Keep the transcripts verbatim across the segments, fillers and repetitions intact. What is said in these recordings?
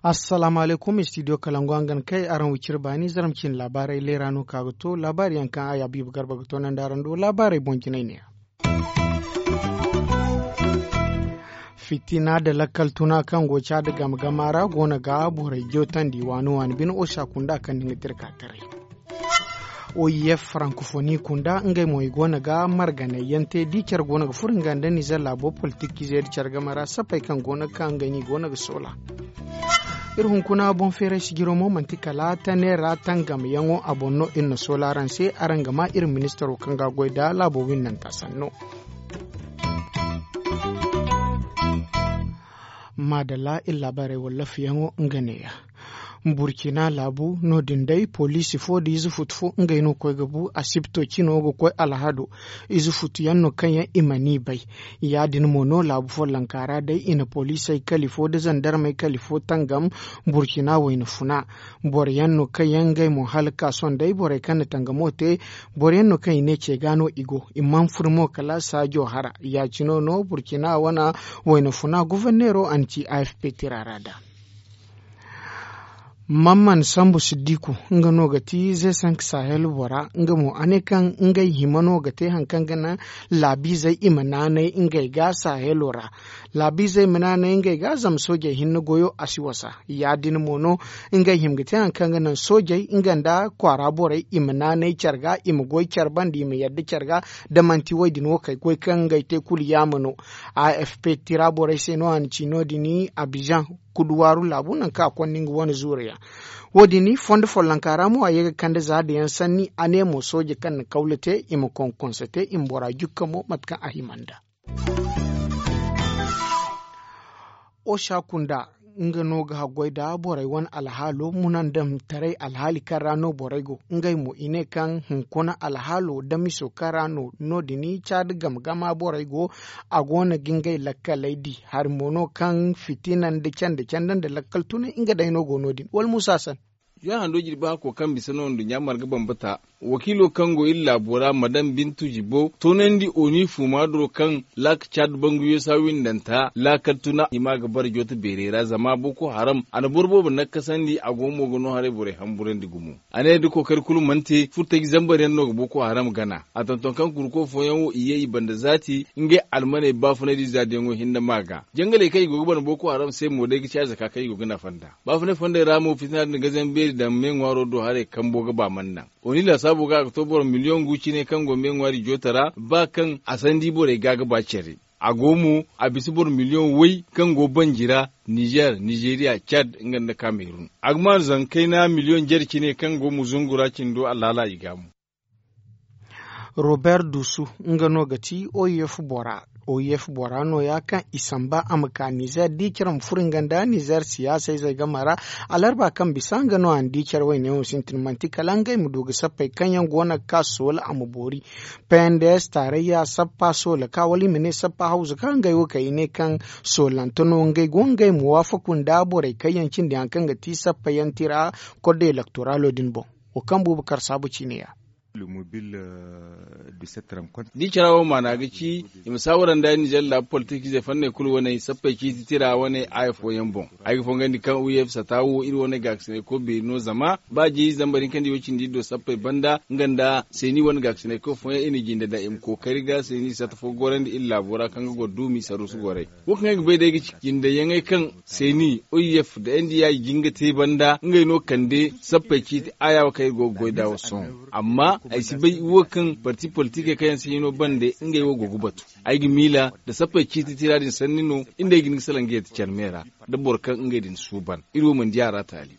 Assalaamu alaykum, istidiyo kalangu hangan kay araŋ wiciri baani zaram cine laabaarey leera no ka ga to laabaari yaŋ kaŋ a ya biiba garba ga to naŋ da araŋ do laabaarey boŋ jinay ne ya. Fitina nda lakkal tuna kaŋ go caadi game gama ra go no ga borey jootandi waani waani bine osa kunda kaŋ ni ga dirka taray. Oif farankofoni kunda ngey mo i go no ga marganay yaŋ te di care go no ga furo nga nda nizer laabo politik ize nda care game ra sappey kaŋ go no ga ka ngey no i go no ga soola. Iri hunkuna boŋ feeray sijiro mo manti kala taneera tangam yaŋo a boŋ no iri na soola araŋ se araŋ ga ma iri ministaro kaŋ ga a goy nda laabo winnanta sanno. Maadalla iri laabaarey wallaafiyaŋo nga neeya. Burkina laabu no- din day poliisi fo nda ize futu fo ngey no ga koy ga bu asibto cino ga koy alhado. Ize futu yaŋ no kaŋ yaŋ i mana i bay. Ya- din mo no laabu follonka ra day i na poliisey kali fo nda zandarmey kali fo tangam burkina wayna funa. Boro yaŋ no kaŋ yaŋ ngey mo hala ga ka sohõ day borey kaŋ na tangamo te. Boro yaŋ no kaŋ i ne ce ga no i go i mana furo mo kala saajo hara. Ya- cino no burkina wane wayna funa goforneero a na ci afp tira ra nd'a. Mamman sambu siddiku nga no ga ti ze sank sahel bora nga mo a ne kaŋ ngey hima no ga te hari kaŋ ga naŋ laabiizey i ma naanay ngey ga sahelo ra. Laabiizey ma naanay ngey ga zama soojey hinne goyo a si wasa. Ya- din mo no ngey hima ga te hari kaŋ ga naŋ soojey nga nda kwaara borey i ma naanay care ga i ma goy care banda i ma yadda care ga. Da manti wo- din wo kay goy kaŋ ngey te kulu yaama no. Afp tira borey se no a na ci no- din abijan kuduwaaru laabu nangu kaŋ a konda nga wane zuuru yaŋ. Wo- din fondo follonka ra mo a ye ga kande za da yaŋ sanni a ne mo sooje kaŋ na kawla te i ma konkonse te i ma bora jukka mo mate kaŋ a hima nd'a. Osa kunda nga no ga haggoy nda borey wane alhaalo munandamtaray alhaali kaŋ ra no borey go. Ngey mo i ne kaŋ hunkuna alhaalo damiso kaŋ ra no no- din caadi game gama borey go. A go no ga ngey lakkaley di hari mo no kaŋ fitina nda cande cande nda lakkal tunay nga day no go no- din wala muusa san. Juwan hando jirbi hako kaŋ bisa no nduɲɲa marga bambata wakiilo kaŋ go iri laabo ra madam bintu jibo toonandi oni fuumaaduro kaŋ laaka caad banguyo saawindanta laakal tuna i ma ga bara jooto beerey ra zama boko haram a na boro boobo nakkasandi a go mo ga no haray borey hamburandi gumo. A ne da kookari kulu mana te furtaji zambar yaŋ no ga boko haram gana. A tonton kaŋ kurko fooyaŋ wo i ye i banda zaati ngey almaney baafunay da i zaadiyaŋo hinne ma ga jangaley kaŋ i go ga bana boko haram se mo day ga ci a zaka kaŋ i go ga nafa nd'a. Baafunay fondey ra mo fitina din ga zambeeri daŋ me ŋwaaro do haray kambo ga ba mana naŋ. Oni laasaabo ga a ga to boro miliyoŋ gu cine kaŋ go me ŋwaari joota ra ba kaŋ a sandi borey ga ga ba care. A go mo a bisa boro miliyoŋ way kaŋ go banji ra nizer nizeriya cad nga nda kamerun a ga maanu zangu kayna miliyoŋ jare cine kaŋ go muzungu ra cindo allaala i ga mo. Robert dusu nga no ga ti oif bora. Oif bora no- ya kaŋ i samba a ma ka nizer di care ma furo nga nda nizer siyaasa izey game ra. Alarba kaŋ bisa nga no a na di care wayne wo sintin manti kala ngey ma du ga sappey kaŋ yaŋ go no ga ka soola a ma boori. Pnds taarayya sappa soola ka wala i ma ne sappa hawza ka ngey wo kay i ne kaŋ soolante no ngey go ngey ma waafaku nda borey kaŋ yaŋ cindi hari kaŋ ga ti sappa yaŋ tira kod elektoralo din boŋ. Wo kaŋ buuba kar saabu ciine ya. Da i cara wo maana ga ci i ma saawara nda nizer laabu politik ize fanney kulu wane sappey ciiti tira wane aya fooyaŋ boŋ. Ay ga fongandi kaŋ u f sata wo iri wane gaakasinay koy beeri no zama ba jeeri zambar hinka nda i wo cindi iri do sappey banda nga nda seeni wane gaakasinay koy fooyaŋ i na jinde daŋ i ma kookari ga seeni sata fo gorandi iri laabo ra kaŋ ga goro duumi saruusu goray. Wo kaŋ ay ga bay day ga ci jindeyaŋey kaŋ seeni o f nda n d i i jin ga te banda ngey no kande sappey ciiti aya wo kaŋ iri go ga goy nd'a wo sohõ. Amma ay si bay wo kaŋ parti politikey kaŋ yaŋ si hino bande ngey wo go ga batu. Ay ga miila nda sappey ciiti tira din sanni no iri nd'ey ga hin ga salaŋ ga yadda care me ra nda boro kaŋ ngey din suuban iri wo mana di a ra taali.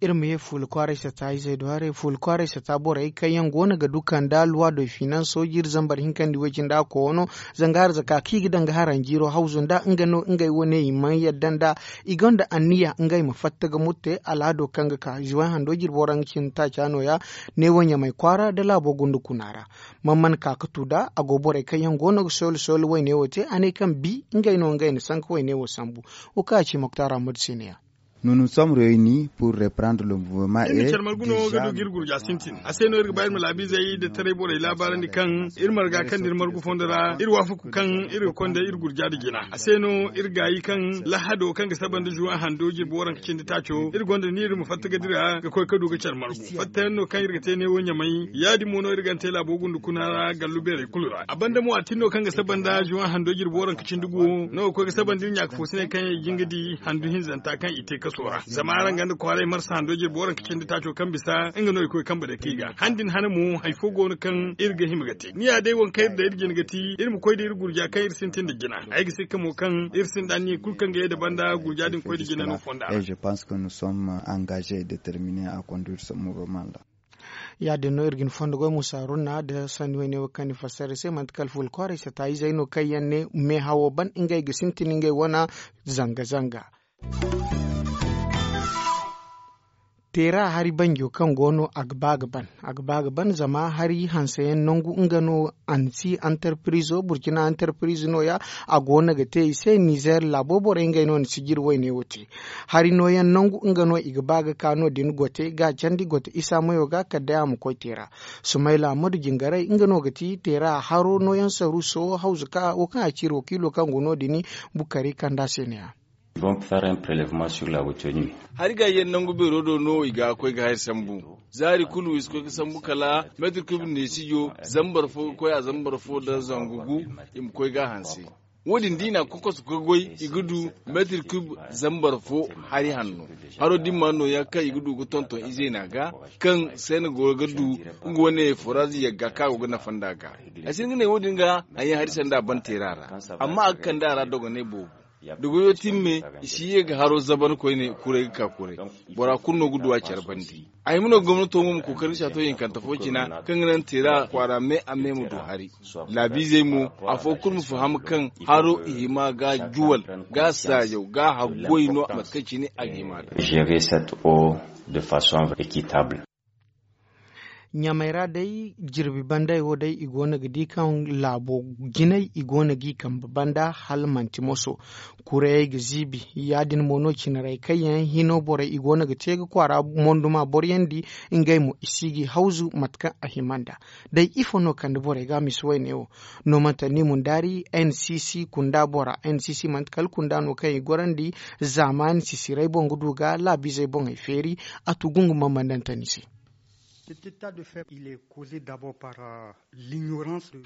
Iri ma ye fuula kwaaray sata izey do haray fuula kwaaray sata borey kaŋ yaŋ go no ga du kanda luwa do i finanso jiri zambar hinkandi way-cindi a koono. Zanga harzaka kaŋ i ga daŋ ga haranjiiro hawzu nda nga no ngey wane i mana yadda nda i gonda anniya ngey ma fatta ga murte alhado kaŋ ga ka zuway hando jiri boro nga cindi taaca no- ya. Neewo ɲamay kwaara nda laabo gunda kuna ra. Mana mana ka ga tu nd'a a go borey kaŋ yaŋ go no ga sooli sooli wayne wo te a ne kaŋ bi ngey no ngey na sanka wayne wo sambu. Wo kaŋ a ci moktaara murte se ne- ya. Nous nous sommes réunis pour reprendre le mouvement. Iri na care margu no ga du ga iri gurja sintin a se no iri ga ba iri ma laabiizey nda taray borey laabaarandi kaŋ iri marga kaŋ nda iri margu fondo ra iri waafaku kaŋ iri ga konda iri gurja nda jina a se no iri gaayi kaŋ lahado kaŋ ga saba nda zuwan hando jirbi waranka cindi taaco iri gonda ni iri ma fatta ga dira ga koy ga du ga care margu fattayaŋ no kaŋ iri ga te neewo ɲamay ya- din mo no iri ga ni te laabo gunda kuna ra gallu beerey kulu ra a banda mo a tin no kaŋ ga saba nda zuwan hando jirbi waranka cindi guwo no ga koy ga saba nda iri ɲaaka foosiney kaŋ yaŋ i jin ga di handu hinzanta kaŋ i te kaso ra zama araŋ ganda kwaaray marsa hando jirbi waranka cindi taaco kaŋ bisa nga no i koy kambe day kaŋ i ga han din hane mo hari fo go no kaŋ iri ga hima ga te ni ya day waŋ kaŋ iri daŋ iri jina ga ti iri ma koy da iri gurja kaŋ iri sintin nda jina ay ga sikka mo kaŋ iri sinda anniya kulu kaŋ ga ye nda banda gurja din koy nda jina no fonda ra. Je pense que nous sommes engagés et déterminés à conduire ce mouvement là. Ya- din no iri ga ni fondo goy musa runna nda sanni wayne wo kaŋ ni fassara iri se manti kala fuula kwaaray sata izey no kaŋ yaŋ ne meehawo ban ngey ga sintin ngey wane zanga zanga. Teera hari banjo kaŋ go no a ga ba ga ban a ga ba ga ban zama hari hanseyaŋ nangu nga no ansi antarpirizo burkina antarpirizo no- ya. A go no ga te i se nizer laabo borey ngey no na sijiri wayne wo te. Hari nooyaŋ nangu nga no i ga ba ga ka no- din gote ga a candi gote isa mayo ga kala day a ma koy teera. Sumayla madu jingaray nga no ga ti teera haro nooyaŋ saruuso hawzu ka wo kaŋ a ci iri wakiilo kaŋ go no- din bukari kanda se ne- ya. Hari gaajiyaŋ nangu beero do no i ga koy ga hari sambu zaari kulu i si koy ga sambu kala meetir kub neesijo zambar fo ga koy a zambar fo nda zangu gu. I ma koy ga a hanse wo- din da i na a kokosu ga goy i ga du meetir kub zambar fo hari hanno. Haro dimma nooya kaŋ i ga du ga tonton izeena ga kaŋ senegal ga du nga wane foraaz yagga kaŋ a go ga nafa nd'a ga. Ay si hin ga ne wo- din ga a yaŋ hari sanda a ban teera ra amma a ga kande a ra dogonay boobo. Da goyo timme i si ye ga haro zaban koyne kuray ga ka kuray. Bora kulu no ga du a care bande. A hima no gomnato mo ma kookari saato hinkante fo cina kaŋ ga naŋ teera kwaara me a me ma du hari. Laabiizey mo afo kulu ma faham kaŋ haro i hima ga juwal ga saajaw ga haggoy no mate kaŋ cine a ga hima ga. Gérer cette eau de façon équitable. Ɲamay ra day jirbi banday wo day i go no ga di kaŋ laabo jinay i go no g'i kambe banda hala manti moso. Kurayey ga ziibi ya- din mo no cinarey kaŋ yaŋ hino borey i go no ga te ga kwaara monduma boro yaŋ di. Ngey mo i si g'i hawzu mate kaŋ a hima nd'a. Day ifo no kande borey ga a misi wayne wo? No manti ni mundaari n c c kunda bora n c c manti kala kunda no kaŋ i gorandi. Zaamaani sisiray boŋ ga du ga laabiizey boŋey feeri. A tu gungu mambandante ni se.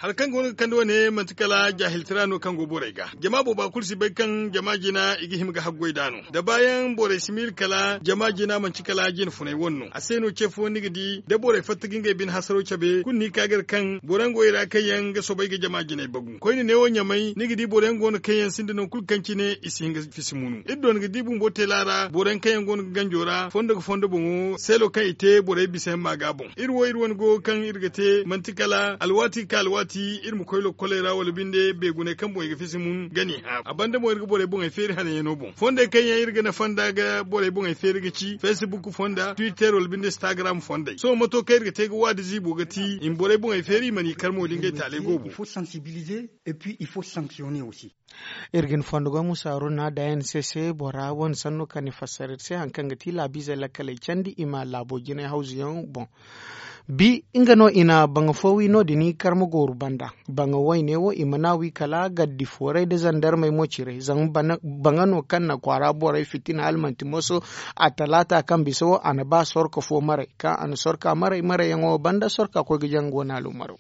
Hari kaŋ go no ga kande wane manti kala jaahiltira no kaŋ go borey ga. Jama booba kulu si bay kaŋ jama jina i ga hima ga haggoy nd'a no da baayaŋ borey si miila kala jama jina manti kala jina funay wane no a se no ce fo ni ga di da borey fatta ga ngey bine hasaro cabe kulu no i ka ga iri kaŋ boro yaŋ go i ra kaŋ yaŋ ga soobay ga jama jinay bagu koyne neewo ɲamay ni ga di boro yaŋ go no kaŋ yaŋ sinda nangu kulu kaŋ cine i si hin ga fisi munu iri doona ga di bumbo teela ra boro yaŋ kaŋ yaŋ go no ga ganjo ra fondo ga fondo boŋo seelo kaŋ i te borey bisa yaŋ ma ga boŋ. Iri wo iri wane go kaŋ iri ga te manti kala alwaati ga ka alwaati iri ma koy lokkoley ra wala binde beeguney kaŋ boŋ i ga fisi mun ga n'i hã a banda boŋ iri ga borey boŋey feeri hananyaŋo boŋ fondey kaŋ yaŋ iri ga nafa nd'a ga borey boŋey feeri ga ci facebook fonda twitter wala binde instagram fondey sohõ mato kaŋ iri ga te ga waadi ziibo ga ti i ma borey boŋey feeri i mana i kar mo da ngey taaley goobo. Iri ga ni fondo goy musa haruna dayan se se bora wane sanno kaŋ ni fassara iri se hari kaŋ ga ti laabiizey lakkaley candi i ma laabo jinay hawzuyaŋ boŋ. Bi nga no i na baŋa fo wi no- din i karma gooru banda. Baŋa wayne wo i mana wi kala gaddi fooray nda zandarmey mo cire zama baŋa no kaŋ na kwaara borey fitina hala manti moso. A talaata kaŋ bisa wo a na ba sorka fo maray kaŋ a na sorka maray marayyaŋo banda sorka koy ga jaŋ go naalo maro.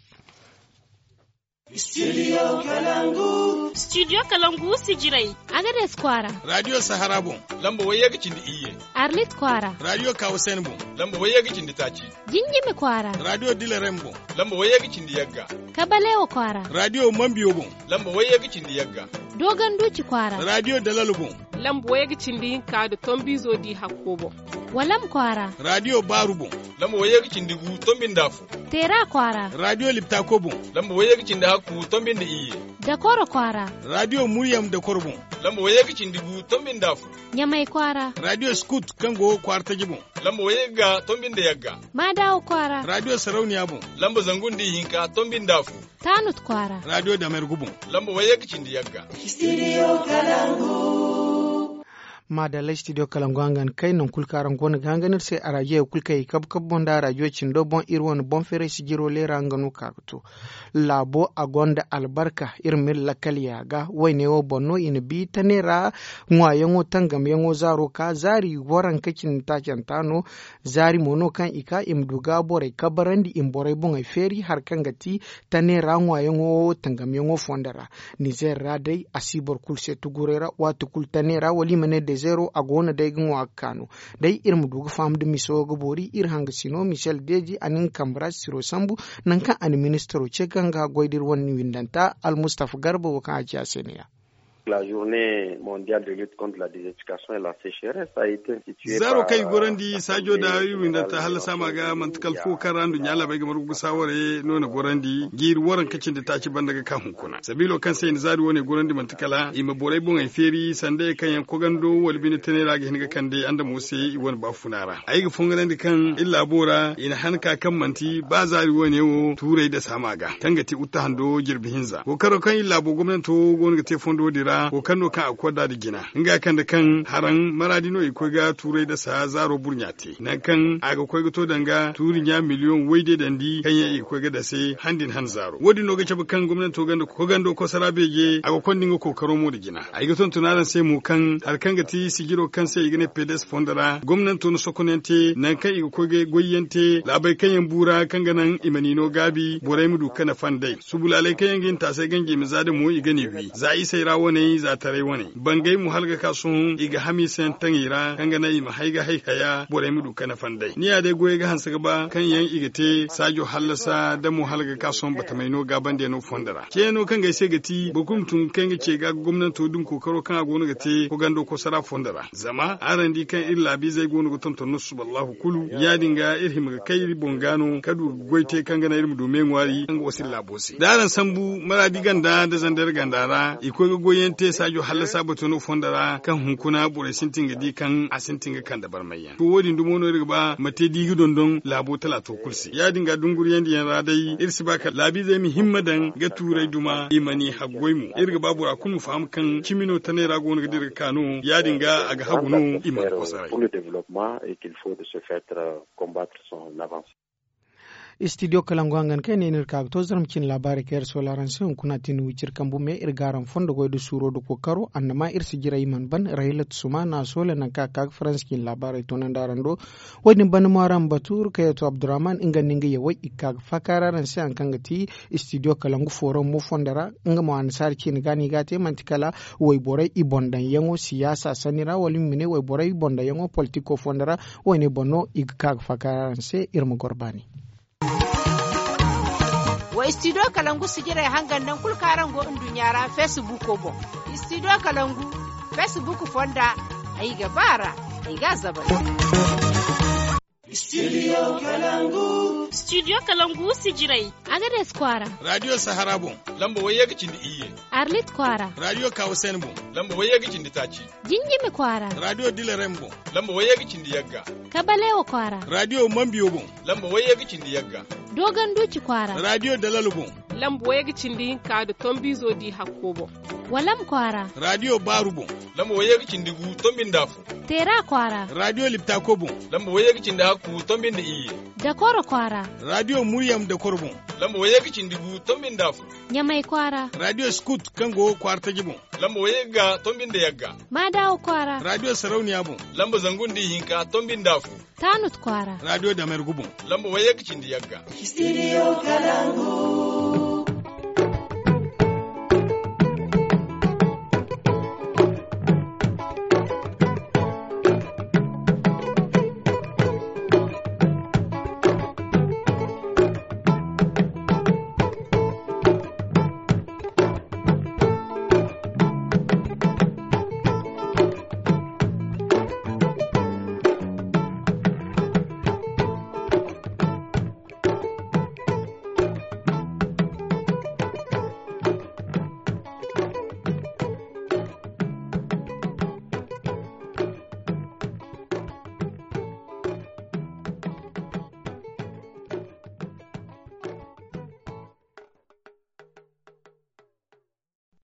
Studio kalangu sijiray. Agades kwaara. Radio sahara boŋ. Lamba wayye ga cindi iyye. Arlit kwaara. Radio kawasen boŋ. Lamba wayye ga cindi taaci. Jinjimi kwaara. Radio dilerem boŋ. Lamba wayye ga cindi yagga. Kabalewa kwaara. Radio mambiyo boŋ. Lamba wayye ga cindi yagga. Doganduci kwaara. Radio dalalo boŋ. Lamba wayye ga cindi hinka nda tombiizo di hakko boŋ. Walam kwaara. Raadiyo baaru boŋ. Lamba wayye ga cindi gu tombi nda afo. Teera kwaara. Raadiyo liptako boŋ. Lamba wayye ga cindi hakku tombi nda iyye. Dakoro kwaara. Raadiyo muryam dakoro boŋ. Lamba wayye ga cindi gu tombi nda afo. Ɲamay kwaara. Raadiyo skut kaŋ go kwaara taji boŋ. Lamba wayye ga tombi nda yagga. Maadaawo kwaara. Raadiyo sarauniya boŋ. Lamba zangu nda ihinka tombi nda afo. Taanut kwaara. Raadiyo damergu boŋ. Lamba wayye ga cindi yagga. Studio kalangu. Maadalla studio kalangu hangan kay non kulu kaŋ araŋ go no ga hangan iri se araajiyey kulu kaŋ i kabu kabu boŋ nda araajiyey cindo boŋ iri wane boŋ feeray sijiro leera nga no ka ga to. Laabo a gonda albarka. Iri ma iri lakkal yaaga wayne wo boŋ no i na bi tane ra. Ŋwaayaŋo tangamyaŋo zaaro ka zaari waranka cindi taacanta no. Zaari mo no kaŋ i ka i ma du ga borey kabarandi i ma borey boŋey feeri hari kaŋ ga ti tane ra ŋwaayaŋo tangamyaŋo fondo ra. Nizeer ra day a si boro kulu se tuguray ra waati kulu tane ra wala i ma ne dezeero a go no day ga ŋwa ga kaanu. Day iri ma du ga faham da miso ga boori iri hangasino michel deeji a na nga kambe ra siro sambu. Nangu kaŋ a na ministaro ce kaŋ ga goy da iri wane windanta almustafa garba wo kaŋ a ci a se ne ya. La journée mondiale de lutte contre la désertification et la sécheresse a été instituée. Zaaro kaŋ i gorandi saajo da iri windanta hallasa ma ga manti kala fo kaŋ ra nduɲɲa laabey ga margu ga saaware no na gorandi jiiri waranka cindi taaci banda ga ka hunkuna sabiilo kaŋ se i na zaari wane gorandi manti kala i ma borey boŋey feeri sanda ye kaŋ yaŋ kogando wala bine tanay ra ga hin ga kande andamo se i wane baafuna ra ay ga fonganandi kaŋ iri laabo ra i na han ka kaŋ manti ba zaari wane wo tuuray da saama ga kaŋ ga ti utta hando jirbi hinza kookaro kaŋ iri laabo gomnanto go no ga te fondo din ra kookar no kaŋ a ga koy nd'a da jina nga kande kaŋ haraŋ maraadi no i ga koy ga tuuray da saha zaaro burɲa te nangu kaŋ a ga koy ga to danga tuuri ɲa miliyoŋ wayde dandi kaŋ yaŋ i ga koy ga dase han din han zaaro wo- din no ga cabe kaŋ gomnanto ganda kogando kosara beeje a ga konda nga kookaro mo nda jina ay ga tonton araŋ se mo kaŋ hari kaŋ ga ti sijiro kaŋ se i ga ne pedes fondo ra gomnanto na sokonante nangu kaŋ i ga koy ga goyyaŋ te laabey kaŋ yaŋ bu ra kaŋ ga naŋ i ma ni no gaabi borey ma du ga nafa nd'ey subulaaley kaŋ yaŋ ga hin taasay ganji i ma za da mo i ga ni wi za isey ra waney za taray waney bangey mo hala ga ka sohõ i ga hamiisayaŋ taŋ i ra kaŋ ga naŋ i ma hay ga hay haya borey ma du ga nafa nd'ey ni ya day goyey ga hanse ga ba kaŋ yaŋ i ga te saajo hallasa da mo hala ga ka sohõ batamey no gaabandiyaŋo fondo ra ceeno kaŋ ga ay se ga ti boro kulu ma tun ga kay nga ce ga ga gomnanto dumi kookaro kaŋ a go no ga te kogando kosara fondo ra zama araŋ di kaŋ iri laabiizey go no ga tonton no susuballahu kulu ya- din ga iri hima ga kay iri boŋ ga no ka du ga goy te kaŋ ga naŋ iri ma du me ŋwaari kaŋ ga wasa iri laabo se da araŋ sambu maraadi ganda nda zandar ganda ra i koy ga goyyaŋ te saajo hallasa bato no fondo ra kaŋ hunkuna borey sintin ga di kaŋ a sintin ga kande barmayyaŋ to wo- din dumo no iri ga ba ma te di ga dondon laabo talaato kulu se ya- din ga dunguriyandiyaŋ ra day iri si ba kala laabiizey ma himma daŋ ga tuuray duma i ma ni haggoy mo iri ga ba bora kulu ma faham kaŋ cimi no tanay ra go no ga dira ga ka no ya- din ga a ga hagu no i mana kosaray. Studio kalangu hangan kaŋ ay ne no iri ka ga to zarma cine laabaarey kaŋ iri soola araŋ se hunkuna a te ni wiciri kambu me iri ga araŋ fondo goy nda suuro nda kookaro annama iri si jiray i mana ban rahilat suma na a soola nangu kaŋ a ka ga faransa cine laabaarey toonandi araŋ do wo- din banda mo araŋ ma batu iri kayyato abdurrahman nga nda nga yawey i ga ka ga faakaari araŋ se hari kaŋ ga ti studio kalangu forum mo fondo ra nga mo annasaari ciine ga no i ga a te manti kala wayborey i boŋ daŋyaŋo siyaasa sanni ra wala iri ma ne wayborey i boŋ daŋyaŋo politiko fondo ra wo- ne boŋ no i ga ka ga faakaari araŋ se iri ma goro baani. Wa studio kalangu sijirey hangan nangu kulu kaŋ araŋ go nduɲɲa ra feesibuuko boŋ. Studio kalangu feesibuuko fonda ay ga ba a ra ay ga a zabari. Studio kalangu. Studio kalangu sijirey. Agades kwaara. Raadiyo sahara boŋ. Lamba wayye ga cindi iyye. Arlit kwaara. Raadiyo kawasen boŋ. Lamba wayye ga cindi taaci. Jinjimi kwaara. Raadiyo dilarem boŋ. Lamba wayye ga cindi yagga. Kabalewa kwaara. Raadiyo mambiyo boŋ. Lamba wayye ga cindi yagga. Dogon duuci kwaara. Raadiyo dalalo boŋ. Lamba wayye ga cindi hinka nda tombiizo di hakko boŋ. Walam kwaara. Raadiyo baaru boŋ. Lamba wayye ga cindi gu tombi nda afo. Teera kwaara. Raadiyo liptako boŋ. Lamba wayye ga cindi hakku tombi nda iyye. Dakoro kwaara. Raadiyo muryam dakoro boŋ. Lamba wayye ga cindi gu tombi nda afo. Ɲamay kwaara. Raadiyo skut kaŋ go kwaara taji boŋ. Lamba wayye ga tombi nda yagga. Maadaawo kwaara. Raadiyo sarauniya boŋ. Lamba zangu nda ihinka tombi nda afo. Taanut kwaara. Raadiyo damergu boŋ. Lamba wayye ga cindi yagga. Studio kalangu.